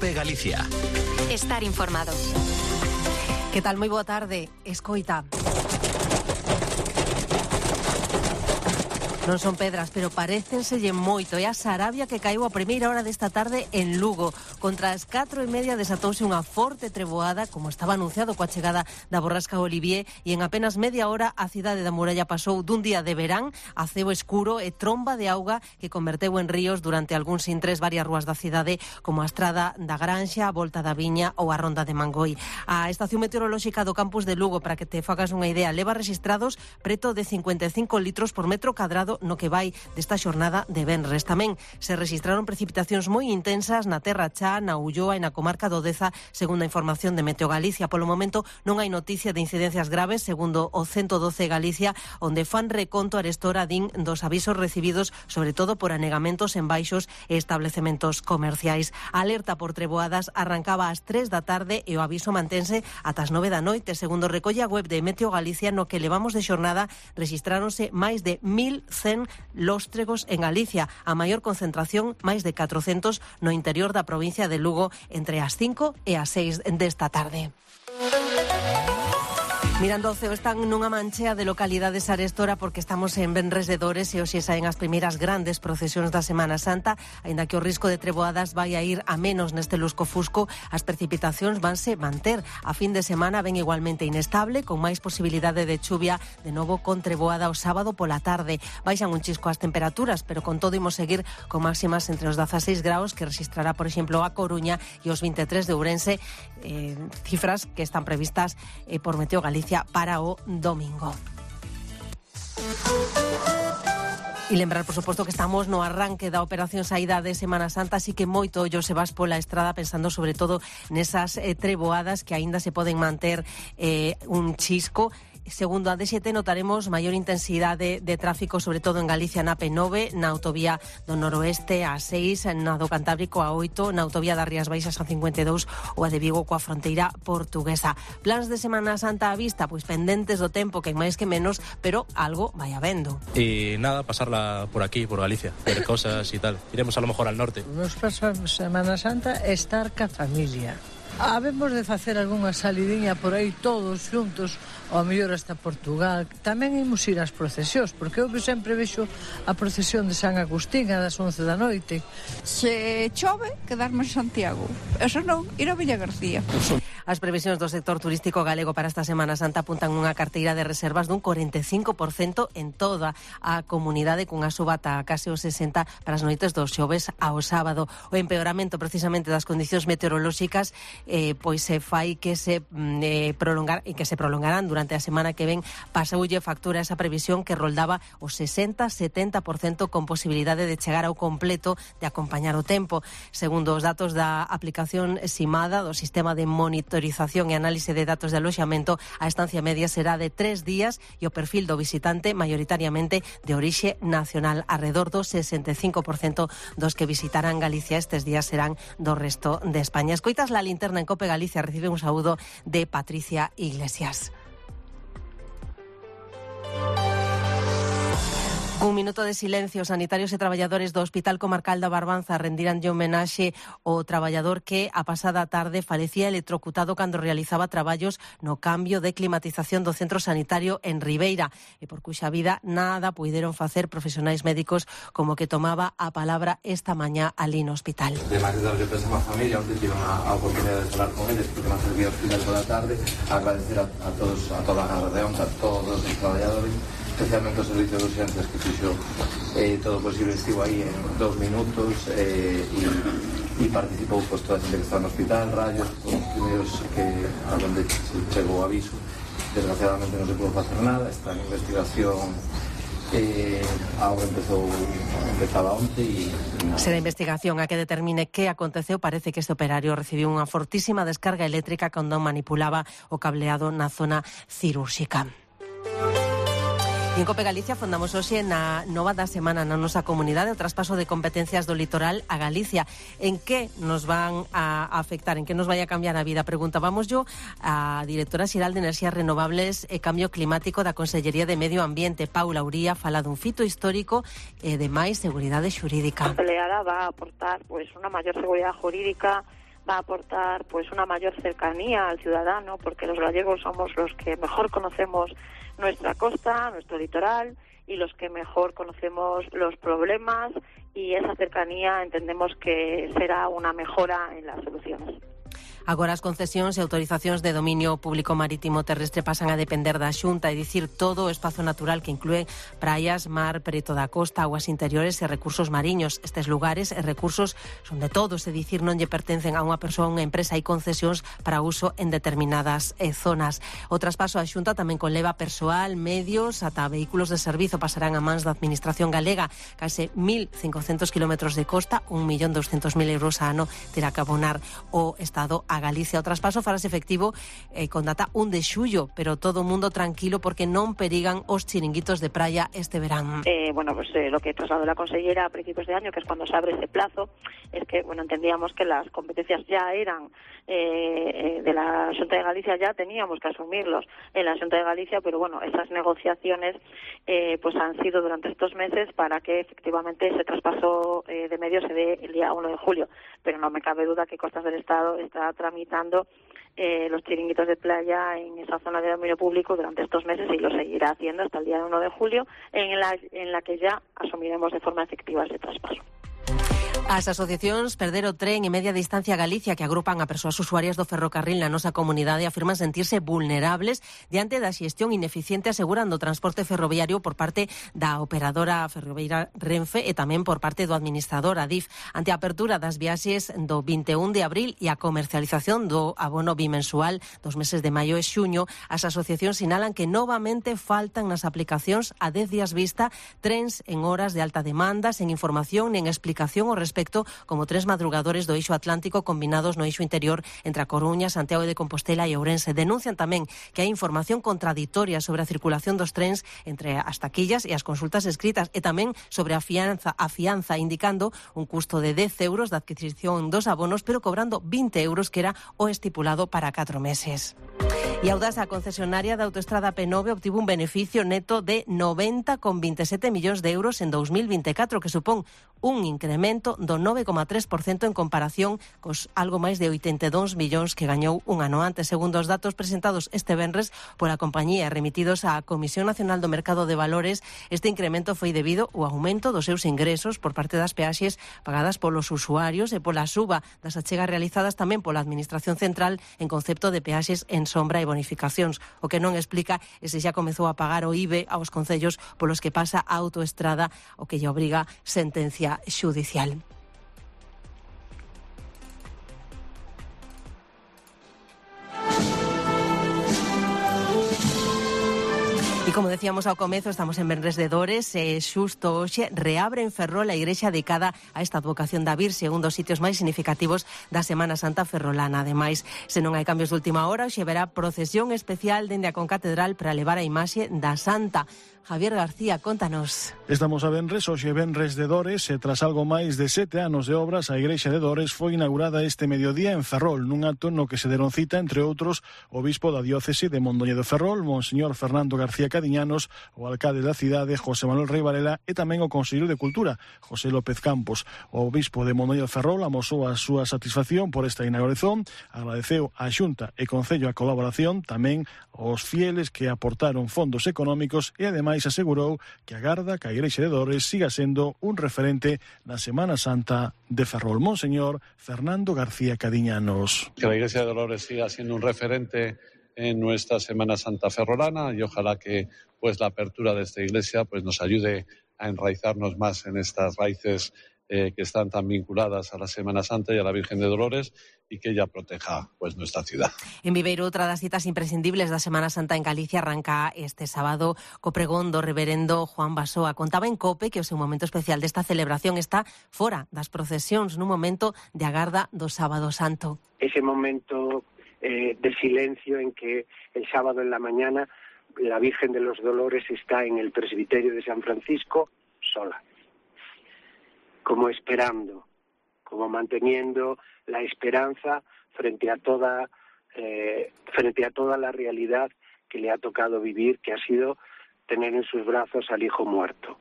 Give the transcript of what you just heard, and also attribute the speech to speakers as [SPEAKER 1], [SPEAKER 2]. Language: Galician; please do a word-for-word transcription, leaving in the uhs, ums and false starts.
[SPEAKER 1] COPE Galicia.
[SPEAKER 2] Estar informado.
[SPEAKER 3] Que tal? Moi boa tarde. Escoita. Non son pedras, pero parécenselle moito. É a Sarabia que caeu a primeira hora desta tarde en Lugo. Contra as catro e media desatouse unha forte treboada, como estaba anunciado coa chegada da borrasca Olivier, e en apenas media hora a cidade da Muralla pasou dun día de verán a ceo escuro e tromba de auga que converteu en ríos durante algúns intres varias rúas da cidade, como a Estrada da Granxa, a Volta da Viña ou a Ronda de Mangoi. A Estación Meteorolóxica do campus de Lugo, para que te fagas unha idea, leva registrados preto de cincuenta e cinco litros por metro cadrado no que vai desta xornada de venres. Tamén se registraron precipitacións moi intensas na Terra Chá, na Ulloa e na comarca do Deza, segundo a información de Meteo Galicia. Polo momento non hai noticia de incidencias graves, segundo o ciento doce Galicia, onde fan reconto arestora din dos avisos recibidos, sobre todo por anegamentos en baixos e establecementos comerciais. A alerta por treboadas arrancaba ás tres da tarde e o aviso mantense ata as nove da noite. Segundo recolle a web de Meteo Galicia, no que levamos de xornada rexistráronse máis de mil cen lóstregos en Galicia, a maior concentración, máis de catrocentos, no interior da provincia de Lugo entre as cinco e as seis desta tarde. Mirando ao ceo, están nunha manchea de localidades arestora porque estamos en venres de Dores e hoxe saen as primeiras grandes procesións da Semana Santa. Aínda que o risco de treboadas vai a ir a menos neste lusco-fusco, as precipitacións vanse manter. A fin de semana ven igualmente inestable, con máis posibilidade de chuvia, de novo con treboada o sábado pola tarde. Baixan un chisco as temperaturas, pero con todo imos seguir con máximas entre os dezaseis graus que registrará, por exemplo, a Coruña, e os vinte e tres de Ourense, eh, cifras que están previstas eh, por Meteo Galicia para o domingo. E lembrar, por suposto, que estamos no arranque da operación saída de Semana Santa, así que moito ollo se vas pola estrada pensando sobre todo nesas eh, treboadas que aínda se poden manter eh, un chisco. Segundo a D X T notaremos maior intensidade de tráfico, sobre todo en Galicia na P nove, na autovía do noroeste a seis, na do Cantábrico a oito, na autovía das Rías Baixas a cincuenta e dous ou a de Vigo coa fronteira portuguesa. Plans de Semana Santa a vista, pois pendentes do tempo, que máis que menos, pero algo vai habendo.
[SPEAKER 4] Y nada, pasarla por aquí, por Galicia, ver cosas y tal. Iremos a lo mejor al norte.
[SPEAKER 5] Nos pasamos Semana Santa estar ca familia. Habemos de facer algunha salidiña por aí todos xuntos, ou a mellor hasta Portugal. Tamén imos ir ás procesións, porque eu sempre vexo a procesión de San Agustín a das once da noite.
[SPEAKER 6] Se chove, quedarme en Santiago. Eso non, ir a Villa García.
[SPEAKER 3] As previsións do sector turístico galego para esta Semana Santa apuntan unha carteira de reservas dun cuarenta e cinco por cento en toda a comunidade, cunha suba ata case o sesenta por cento para as noites dos xoves ao sábado. O empeoramento precisamente das condicións meteorolóxicas eh, pois se fai que se eh, prolongar e que se prolongarán durante a semana que ven. Pasoulle factura esa previsión que roldaba o sesenta a setenta por cento con posibilidade de chegar ao completo de acompañar o tempo. Segundo os datos da aplicación Simada, do sistema de monitorización e análise de datos de aloxamento, a estancia media será de tres días e o perfil do visitante maioritariamente de orixe nacional. Arredor do sesenta e cinco por cento dos que visitarán Galicia estes días serán do resto de España. Escoitas la linterna en COPE Galicia, recibe un saúdo de Patricia Iglesias. Un minuto de silencio. Sanitarios e traballadores do Hospital Comarcal da Barbanza rendiranlle homenaxe ao traballador que a pasada tarde falecía electrocutado cando realizaba traballos no cambio de climatización do centro sanitario en Ribeira, e por cuxa vida nada puideron facer profesionais médicos, como que tomaba a palabra esta mañá ali no hospital.
[SPEAKER 7] Además de darle pésame a familia, onde tive a oportunidade de falar con eles porque me servía ao hospital toda a tarde, agradecer a, a todos, a toda a redeón, a todos os traballadores, especialmente o servicio de urgencias que fixo eh, todo posible, estivo aí en dos minutos eh, e, e participou pues, toda a xente que está no hospital, rayos, os primeiros que a donde chegou o aviso. Desgraciadamente non se pudo facer nada, está en investigación. Eh, ahora empezou empezaba onte e
[SPEAKER 3] será investigación a que determine que aconteceu. Parece que este operario recibiu unha fortísima descarga eléctrica cando manipulaba o cableado na zona cirúrxica. En COPE Galicia fondamos hoxe na nova da semana na nosa comunidade o traspaso de competencias do litoral a Galicia. En que nos van a afectar, en que nos vai a cambiar a vida? Preguntábamos yo a directora xeral de Enerxías Renovables e Cambio Climático da Consellería de Medio Ambiente, Paula Uría, fala dun fito histórico e de máis seguridade xurídica.
[SPEAKER 8] A peleada va a aportar pues, unha maior seguridade jurídica,
[SPEAKER 1] va a aportar pues una mayor cercanía al ciudadano, porque los gallegos somos los que mejor conocemos nuestra costa, nuestro litoral, y los que mejor conocemos los problemas, y esa cercanía entendemos que será una mejora en las soluciones.
[SPEAKER 3] Agora as concesións e autorizacións de dominio público marítimo terrestre pasan a depender da Xunta, é dicir, todo o espazo natural que inclúe praias, mar, preto da costa, aguas interiores e recursos mariños. Estes lugares e recursos son de todos, é dicir, non lle pertencen a unha persoa, a unha empresa, e concesións para uso en determinadas eh, zonas. O traspaso á Xunta tamén conleva persoal, medios, ata vehículos de servizo pasarán a mans da Administración galega. Case mil cincocentos kilómetros de costa, un millón doscientos mil euros a ano terá que abonar o Estado a Galicia. O traspaso farase efectivo eh, con data un de xullo, pero todo o mundo tranquilo porque non perigan os chiringuitos de praia este verán.
[SPEAKER 1] Eh, bueno, pues eh, lo que trasladó la consellera a principios de año, que es cuando se abre ese plazo, es que, bueno, entendíamos que las competencias ya eran eh, de la Xunta de Galicia, ya teníamos que asumirlos en la Xunta de Galicia, pero bueno, esas negociaciones eh, pues han sido durante estos meses para que efectivamente ese traspaso eh, de medios se dé el día uno de julio, pero no me cabe duda que Costas del Estado está tramitando eh, los chiringuitos de playa en esa zona de dominio público durante estos meses, y lo seguirá haciendo hasta el día uno de julio, en la, en la que ya asumiremos de forma efectiva ese traspaso.
[SPEAKER 3] As asociacións Perder o Tren e Media Distancia Galicia, que agrupan a persoas usuarias do ferrocarril na nosa comunidade, afirman sentirse vulnerables diante da xestión ineficiente asegurando o transporte ferroviario por parte da operadora ferroviaria Renfe e tamén por parte do administrador Adif. Ante a apertura das viaxes do vinte e un de abril e a comercialización do abono bimensual dos meses de maio e xuño, as asociacións sinalan que novamente faltan nas aplicacións a dez días vista trens en horas de alta demanda, sen información nen explicación ao respecto, como tres madrugadores do eixo atlántico combinados no eixo interior entre a Coruña, Santiago de Compostela e Ourense. Denuncian tamén que hai información contradictoria sobre a circulación dos trens entre as taquillas e as consultas escritas, e tamén sobre a fianza, a fianza indicando un custo de dez euros de adquisición dos abonos, pero cobrando vinte euros, que era o estipulado para catro meses. E Audasa, a concesionaria da autoestrada P nove, obtivo un beneficio neto de noventa coma veintisiete millóns de euros en dos mil veinticuatro, que supón un incremento do nove coma tres por cento en comparación cos algo máis de oitenta e dous millóns que gañou un ano antes. Segundo os datos presentados este venres pola compañía remitidos á Comisión Nacional do Mercado de Valores, este incremento foi debido ao aumento dos seus ingresos por parte das peaxes pagadas polos usuarios e pola suba das achegas realizadas tamén pola Administración Central en concepto de peaxes en sombra e bonificacións. O que non explica é se xa comezou a pagar o I B E aos concellos polos que pasa a autoestrada, o que lle obriga sentencia xudicial. E como decíamos ao comezo, estamos en venres de Dores e xusto hoxe reabre en Ferrol a igrexa dedicada a esta advocación da Virxe, un dos sitios máis significativos da Semana Santa ferrolana. Ademais, se non hai cambios de última hora, hoxe verá procesión especial dende a concatedral para levar a imaxe da Santa. Javier García, contanos.
[SPEAKER 8] Estamos a venres, hoxe venres de Dores, e tras algo máis de sete anos de obras, a igrexa de Dores foi inaugurada este mediodía en Ferrol, nun acto no que se deron cita, entre outros, o bispo da diócese de Mondoñedo Ferrol, Monseñor Fernando García Cadiñanos, o alcalde da cidade, José Manuel Rei Varela, e tamén o conselleiro de Cultura, José López Campos. O bispo de Mondoñedo Ferrol amosou a súa satisfacción por esta inauguración, agradeceu á Xunta e Concello a colaboración, tamén aos fieles que aportaron fondos económicos, e ademais asegurou que agarda que a igrexa de Dores siga sendo un referente na Semana Santa de Ferrol. Monseñor Fernando García Cadiñanos.
[SPEAKER 9] Que la iglesia de Dolores siga siendo un referente en nuestra Semana Santa ferrolana, y ojalá que pues la apertura de esta iglesia pues nos ayude a enraizarnos más en estas raíces eh, que están tan vinculadas a la Semana Santa y a la Virgen de Dolores, y que ella proteja pues nuestra ciudad.
[SPEAKER 3] En Viveiro, outra das citas imprescindibles da Semana Santa en Galicia arranca este sábado co pregón do reverendo Juan Basoa. Contaba en COPE que o seu momento especial desta celebración está fora das procesións, nun momento de agarda do Sábado Santo.
[SPEAKER 10] Ese momento eh, de silencio en que el sábado en la mañana la Virgen de los Dolores está en el presbiterio de San Francisco sola, como esperando, como manteniendo la esperanza frente a toda eh, frente a toda la realidad que le ha tocado vivir, que ha sido tener en sus brazos al hijo muerto.